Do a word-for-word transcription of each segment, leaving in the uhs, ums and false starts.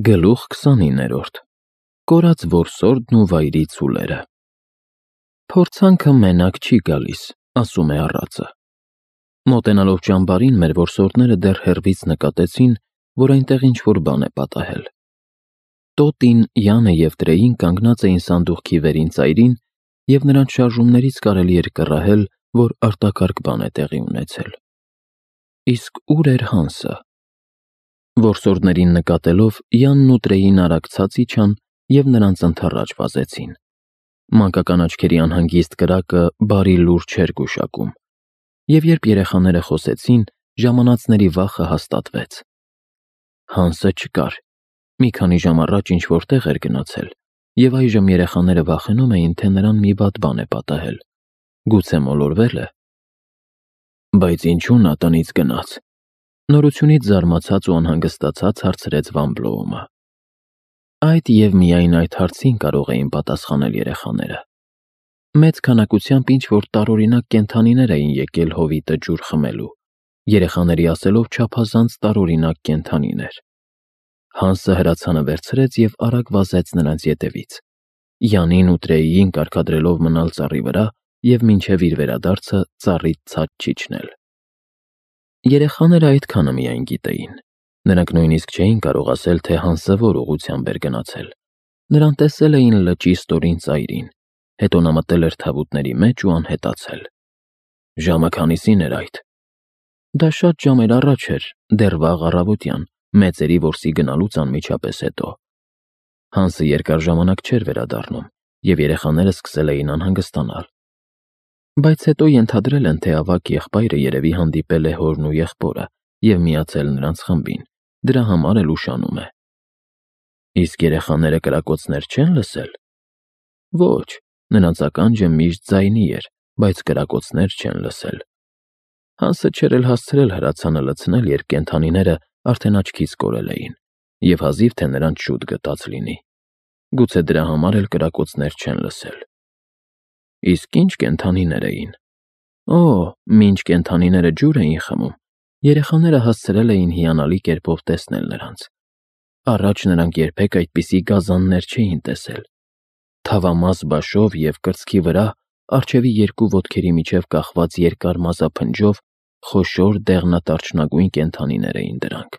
Գլուխ քսանիններորդ Կորած որսորդն ու վայրի ցուլերը։ Փորձանքը մենակ չի գալիս, ասում է առածը։ Մոտենալով ճամբարին մեր որսորդները դեռ հեռվից նկատեցին, որ այնտեղ ինչ-որ բան է պատահել։ Տոտին, Յանը և Տրեին կանգնած էին սանդուղքի վերին ծայրին, և նրանց շարժումներից կարելի էր կռահել, որ արտակարգ բան է տեղի ունեցել։ Իսկ ուր էր Հանսը։ Որսորդներին նկատելով, Յանն ու Տրեին արագ ցած իջան և նրանց ընդառաջ վազեցին։ Մանկական աչքերի անհանգիստ կրակը բարի լուր չէր գուշակում, և երբ երեխաները խոսեցին, ժամանածների վախը հաստատվեց։ Հանսը չկար։ Մի քանի ժամ առաջ ինչ-որ տեղ էր գնացել, և այժմ երեխաները վախենում էին, թե նրան մի վատ բան է պատահել։ Գուցե մոլորվե՞լ է։ Բայց ինչու նա տնից գնաց։ Նորությունից զարմացած ու անհանգստացած հարցրեց Վան Բլոումը։ Այդ և միայն այդ հարցին կարող էին պատասխանել երեխաները։ Մեծ քանակությամբ ինչ-որ տարօրինակ կենդանիներ էին եկել հովիտը ջուր խմելու, երեխաների ասելով չափազանց տարօրինակ կենդանիներ։ Հանսը հրացանը վերցրեց և արագ վազեց նրանց ետևից, Յանին ու Տրեիին կարգադրելով մնալ ծառի վրա և մինչև իր վերադարձը ծառից ցած չիջնել։ Երեխաները այդքանը միայն գիտեին։ Նրանք նույնիսկ չէին կարող ասել, թե Հանսը որ ուղղությամբ էր գնացել։ Նրան տեսել էին լճի ստորին ծայրին, հետո նա մտել էր թավուտների մեջ ու անհետացել։ Ժամը քանիսին էր այդ։ Դա շատ ժամեր առաջ էր, դեռ վաղ առավոտյան, մեծերի որսի գնալուց անմիջապես հետո։ Հանսը երկար ժամանակ չէր վերադառնում, և երեխաները սկսել էին անհանգստանալ։ Բայց հետո ենթադրել են, թե ավագ եղբայրը երևի հանդիպել է հորն ու եղբորը և միացել նրանց խմբին, դրա համար էլ ուշանում է։ Իսկ երեխաները կրակոցներ չեն լսել։ Ոչ, նրանց ականջը միշտ ձայնի էր, բայց կրակոցներ չեն լսել։ Հանսը չէր էլ հասցրել հրացանը լցնել, երբ կենդանիները արդեն աչքից կորել էին, և հազիվ թե նրանց շուտ գտած լինի։ Գուցե դրա համար էլ կրակոցներ չեն լսել։ Իսկ ինչ կենդանիներ էին։ Օ, մինչ կենդանիները ջուր էին խմում, երեխաները հասցրել էին հիանալի կերպով տեսնել նրանց։ Առաջ նրանք երբեք այդպիսի գազաններ չէին տեսել։ Թավամաս բաշով և կրծքի վրա, առջևի երկու ոտքերի միջև կախված երկար մազափնջով, խոշոր դեղնատարչնագույն կենդանիներ էին դրանք։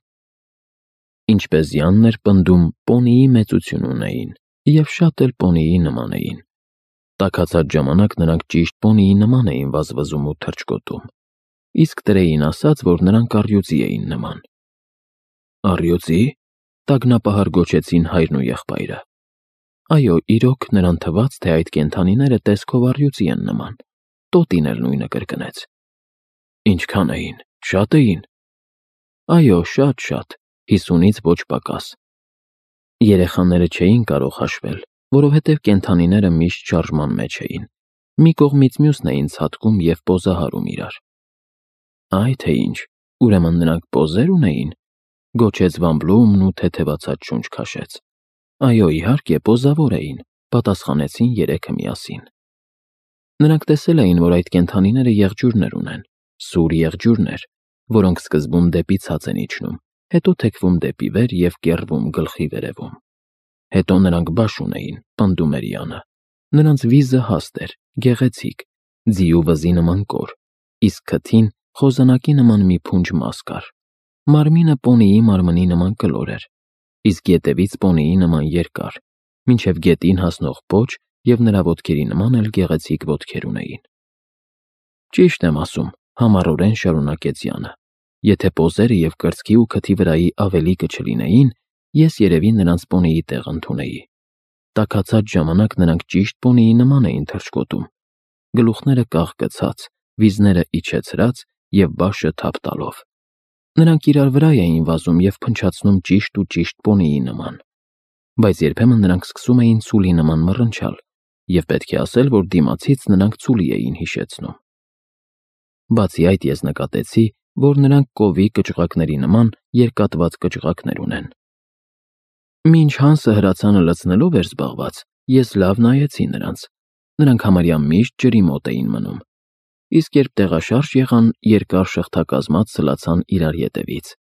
Ինչպես Յանն էր պնդում, պոնիի մեծություն ունեին և շատ էլ պոնիի նման էին։ Տաքացած ժամանակ նրանք ճիշտ պոնիի նման էին վազվզում ու թռչկոտում, իսկ Տրեին ասաց, որ նրանք առյուծի էին նման։ Առյուծի՞։ Տագնապահար գոչեցին հայրն ու եղբայրը։ Այո, իրոք, նրան թվաց, թե այդ կենդանիները տեսքով առյուծի են նման։ Տոտին էլ նույնը կրկնեց։ Ինչքան էին, շա՞տ էին։ Այո, շատ-շատ, հիսունից ոչ պակաս։ Երեխաները չէին կարող հաշվել, որովհետև կենդանիները միշտ շարժման մեջ էին։ Մի կողմից մյուսն էին ցատկում և պոզահարում իրար։ Այ թե ինչ, ուրեմն նրանք պոզեր ունեին, գոչեց Վան Բլոումն ու թեթևացած շունչ քաշեց։ Այո, իհարկե, պոզավոր էին, պատասխանեցին երեքը միասին։ Նրանք տեսել էին, որ այդ կենդանիները եղջյուրներ ունեն, սուր եղջյուրներ, որոնք սկզբում դեպի ցած են իջնում, հետո թեքվում դեպի վեր և կեռվում գլխի վերևում։ Հետո նրանք բաշ ունեին, պնդում էր Յանը։ Նրանց վիզը հաստ էր, գեղեցիկ, ձիու վզի նման կոր, իսկ քթին խոզանակի նման մի փունջ մաս կար։ Մարմինը պոնիի մարմնի նման կլոր էր, իսկ ետևից պոնիի նման երկար, մինչև գետին հասնող պոչ և նրա ոտքերի նման էլ գեղեցիկ ոտքեր ունեին։ Ճիշտ եմ ասում, համառորեն շարունակեց Յանը։ Եթե պոզերը և կրծքի ու քթի վրայի ավելիքը չլինեին, ես երևի նրանց պոնիի տեղ ընդունեի։ Տաքացած ժամանակ նրանք ճիշտ պոնիի նման էին թռչկոտում, գլուխները կաղկցած, վիզները իջեցրած և բաշը թափ տալով։ Նրանք իրար վրա էին վազում և փնչացնում ճիշտ ու ճիշտ պոնիի նման։ Բայց երբեմն նրանք սկսում էին ցուլի նման մռնչալ, և պետք է ասել, որ դիմացից նրանք ցուլի էին հիշեցնում։ Բացի այդ, ես նկատեցի, որ նրանք կովի կճղակների նման երկատված կճղակներ ունեն։ Մինչ Հանսը հրացանը լցնելով էր զբաղված, ես լավ նայեցի նրանց։ Նրանք համարյա միշտ ջրի մոտ էին մնում։ Իսկ երբ տեղաշարժ եղան, երկար շղթակազմած սլացան իրար ետևից։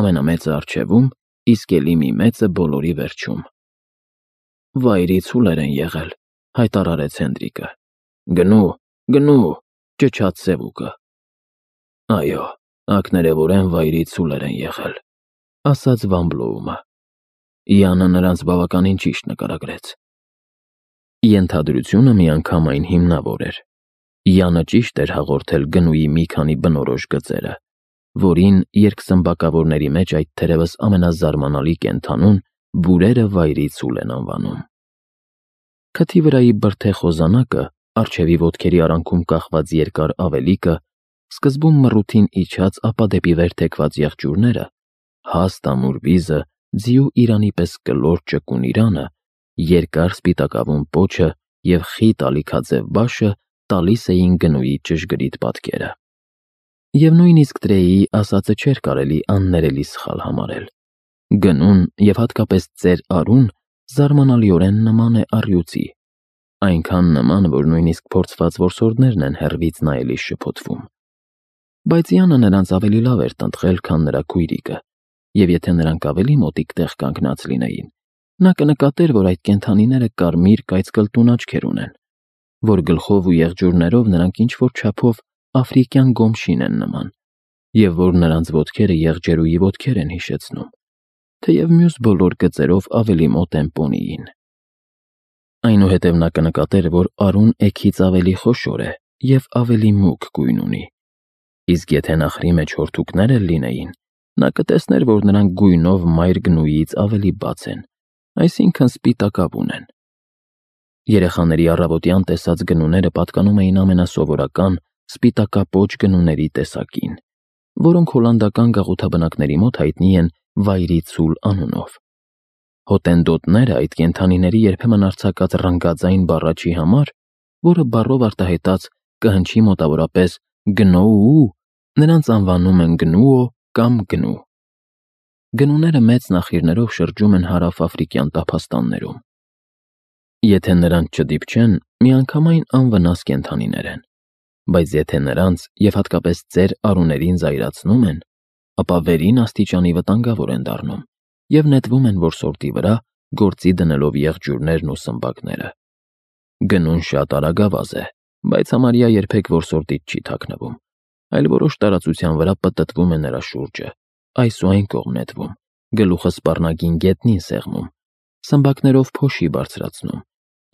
Ամենամեծը առջևում, իսկ էլի մի մեծը բոլորի վերջում։ Վայրի ցուլեր են եղել, հայտարարեց Հենդրիկը։ Գնու, գնու, ճչաց Սևուկը։ Այո, ակներևորեն վայրի ցուլեր են եղել, ասաց Վան Բլոումը։ Յանը նրանց բավականին ճիշտ նկարագրեց։ Ենթադրությունը միանգամայն հիմնավոր էր։ Յանը ճիշտ էր հաղորդել գնուի մի քանի բնորոշ գծերը, որին երկսմբակավորների մեջ այդ թերևս ամենազարմանալի կենդանուն բուրերը վայրի ցուլ են անվանում։ Քթի վրայի բրդե խոզանակը, առջևի ոտքերի արանքում կախված երկար ավելիկը, սկզբում մռութին իջած, ապա դեպի վեր թեքված եղջյուրները, հաստ ամուր վիզը, ձիու իրանի պես կլոր ճկուն իրանը, երկար սպիտակավուն պոչը և խիտ ալիքաձև բաշը տալիս էին գնուի ճշգրիտ պատկերը։ Եվ նույնիսկ Տրեյի ասածը չէր կարելի աններելի սխալ համարել։ Գնուն և հատկապես ծեր Արուն զարմանալիորեն նման է առյուծի, այնքան նման, որ նույնիսկ փորձված որսորդներն են հեռվից նայելիս շփոթվում։ Բայց Յանը նրանց ավելի լավ էր տնտղել, քան նրա քույրիկը, և եթե նրանք ավելի մոտիկ տեղ կանգնած լինեին, նա կնկատեր, որ այդ կենդանիները կարմիր կայծկլտուն աչքեր ունեն, որ գլխով ու եղջյուրներով նրանք ինչ-որ չափով աֆրիկյան գոմշին են նման, և որ նրանց ոտքերը եղջերուի ոտքեր են հիշեցնում, թեև մյուս բոլոր գծերով ավելի մոտ են պոնիին։ Այնուհետև նա կնկատեր, որ Արուն էգից ավելի խոշոր է և ավելի մուգ գույն ունի, իսկ եթե նախրի մեջ հորթուկներ էլ լինեին, նա կտեսներ, որ նրանք գույնով մայր գնուից ավելի բաց են, այսինքն սպիտակավուն են։ Երեխաների առավոտյան տեսած գնուները պատկանում էին ամենասովորական սպիտակապոչ գնուների տեսակին, որոնք հոլանդական գաղութաբնակների մոտ հայտնի են վայրի ցուլ անունով։ Հոտենդոտները այդ կենդանիների երբեմն արձակած ռնգաձայն բառաչի համար, որը բառով արտահայտած կհնչի մոտավորապես գնոու, նրանց անվանում են գնուո կամ գնու։ Գնուները մեծ նախիրներով շրջում են հարավաֆրիկյան տափաստաններում։ Եթե նրանց չդիպչեն, միանգամայն անվնաս կենդանիներ են, բայց եթե նրանց և հատկապես ծեր Արուներին զայրացնում են, ապա վերին աստիճանի վտանգավոր են դառնում և նետվում են որսորդի վրա, գործի դնելով եղջյուրներն ու սմբակները։ Գնուն շատ արագավազ է, բայց համարյա երբեք որսորդից չի թաքնվում, այլ որոշ տարածության վրա պտտվում է նրա շուրջը, այս ու այն կողմ նետվում, գլուխը սպառնագին գետնին սեղմում, սմբակներով փոշի բարձրացնում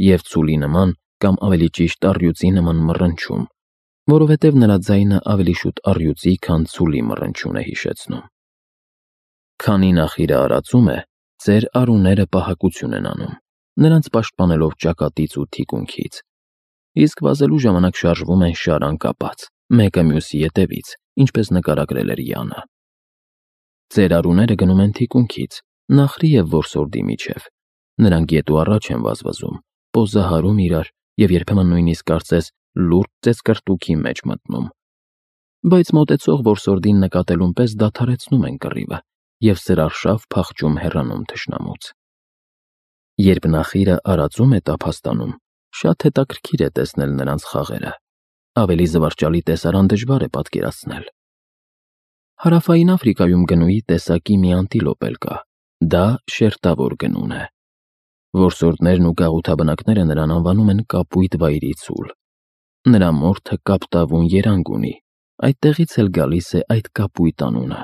և ցուլի նման կամ ավելի ճիշտ առյուծի նման մռնչում, որովհետև նրա ձայնը ավելի շուտ առյուծի, քան ցուլի մռնչյուն է հիշեցնում։ Քանի նախիրը արածում է, ծեր Արուները պահակություն են անում, նրանց պաշտպանելով ճակատից ու թիկունքից, իսկ վազելու ժամանակ շարժվում են շարան կապած, մեկը մյուսի ետևից, ինչպես նկարագրել էր Յանը։ Ծեր Արուները գնում են թիկունքից, նախրի և որսորդի միջև, նրանք ետ ու առաջ են վազվզում, պոզահարում իրար և երբեմն նույնիսկ կարծես լուրջ ծեծկռտուքի մեջ մտնում։ Բայց մոտեցող որսորդին նկատելուն պես դադարեցնում են կռիվը և սրարշավ փախչում հեռանում թշնամուց։ Երբ նախիրը արածում է տափաստանում, շատ հետաքրքիր է տեսնել նրանց խաղերը, ավելի զվարճալի տեսարան դժվար է պատկերացնել։ Հարավային Աֆրիկայում գնուի տեսակի մի անտիլոպ էլ կա, դա շերտավոր գնուն է։ Որսորդներն ու գաղութաբնակները նրան անվանում են կապույտ վայրի ցուլ։ Նրա մորթը կապտավուն երանգ ունի, այդտեղից էլ գալիս է այդ կապույտ անունը,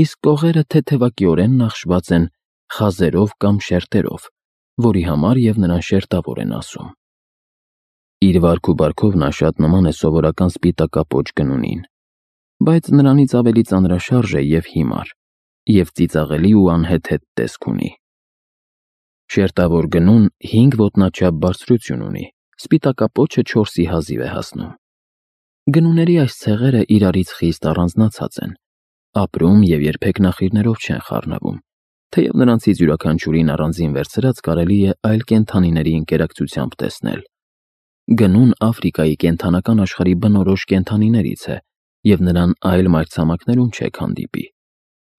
իսկ կողերը թեթևակիորեն նախշված են խազերով կամ շերտերով, որի համար և նրան շերտավոր են ասում։ Իր վարք ու բարքով նա շատ նման է սովորական սպիտակապոչ գնունին, բայց նրանից ավելի ծանրաշարժ է և հիմար, և ծիծաղելի ու անհեթեթ տեսք ունի։ Շերտավոր գնուն հինգ ոտնաչափ բարձրություն ունի, սպիտակապոչը չորսի հազիվ է հասնում։ Գնուների այս ցեղերը իրարից խիստ առանձնացած են, ապրում և երբեք նախիրներով չեն խառնվում, թեև նրանցից յուրաքանչյուրին առանձին վերցրած կարելի է այլ կենդանիների ընկերակցությամբ տեսնել։ Գնուն Աֆրիկայի կենդանական աշխարհի բնորոշ կենդանիներից է և նրան այլ մայրցամաքներում չեք հանդիպի։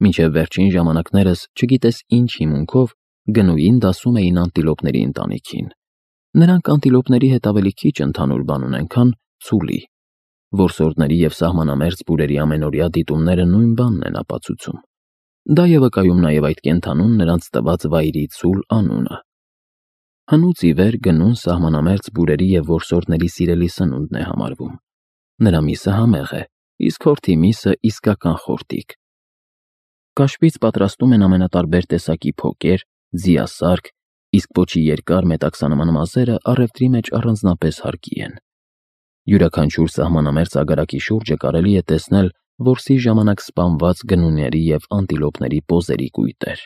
Մինչև վերջին ժամանակներս չգիտես ինչ հիմունքով գնուին դասում էին անտիլոպների ընտանիքին։ Նրանք անտիլոպների հետ ավելի քիչ ընդհանուր բան ունեն, քան ցուլի։ Որսորդների և սահմանամերձ բուրերի ամենօրյա դիտումները նույն բանն են ապացուցում։ Դա է վկայում նաև այդ կենդանուն նրանց տված վայրի ցուլ անունը։ Հնուց ի վեր գնուն սահմանամերձ բուրերի և որսորդների սիրելի սնունդն է համարվում։ Նրա միսը համեղ է, իսկ հորթի միսը իսկական խորտիկ։ Կաշվից պատրաստում են ամենատարբեր տեսակի փոկեր, ձիասարք, իսկ պոչի երկար մետաքսանման մազերը առևտրի մեջ առանձնապես հարկի են։ Յուրաքանչյուր սահմանամերձ ագարակի շուրջը կարելի է տեսնել որսի ժամանակ սպանված գնուների և անտիլոպների պոզերի կույտեր։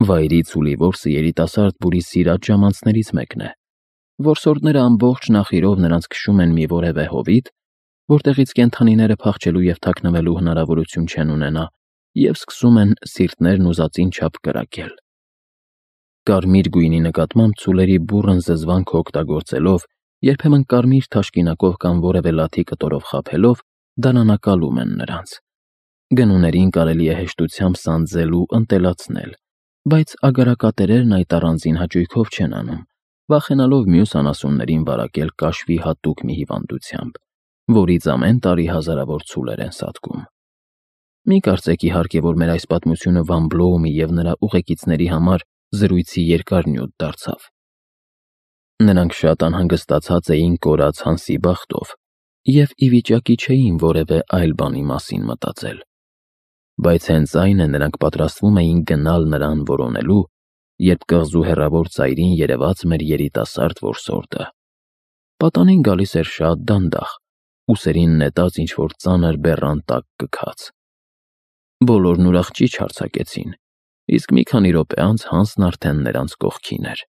Վայրի ցուլի որսը երիտասարդ բուրի սիրած ժամանցներից մեկն է։ Որսորդները ամբողջ նախիրով նրանց քշում են մի որևէ հովիտ, որտեղից կենդանիները փախչելու և թաքնվելու հնարավորություն չեն ունենա, և սկսում են սիրտներն ուզածին չափ կրակել։ Կարմիր գույնի նկատմամբ ցուլերի բուռն զզվանքը օգտագործելով, երբեմն կարմիր թաշկինակով կամ որևէ լաթի կտորով խաբելով, դարանակալում են նրանց։ Գնուներին կարելի է հեշտությամբ սանձել ու ընտելացնել, բայց ագարակատերերն այդ առանձին հաճույքով չեն անում, վախենալով մյուս անասուններին վարակել կաշվի հատուկ մի հիվանդությամբ, որից ամեն տարի հազարավոր ցուլեր են սատկում։ Մի կարծեք իհարկե, որ մեր այս պատմությունը Վան Բլոումի և նրա ուղեկիցների համար զրույցի երկար նյութ դարձավ։ Նրանք շատ անհանգստացած էին կորած Հանսի բախտով և ի վիճակի չէին որևէ այլ բանի մասին մտածել։ Բայց հենց այն է, նրանք պատրաստվում էին գնալ նրան որոնելու, երբ կղզու հեռավոր ծայրին երևաց մեր երիտասարդ որսորդը։ Պատանին գալիս էր շատ դանդաղ, ուսերին նետած ինչ-որ ծանր բեռան տակ կքած։ Բոլորն ուրախ ճիչ արձակեցին, իսկ մի քանի րոպե անց Հանսն արդեն նրանց կողքին էր։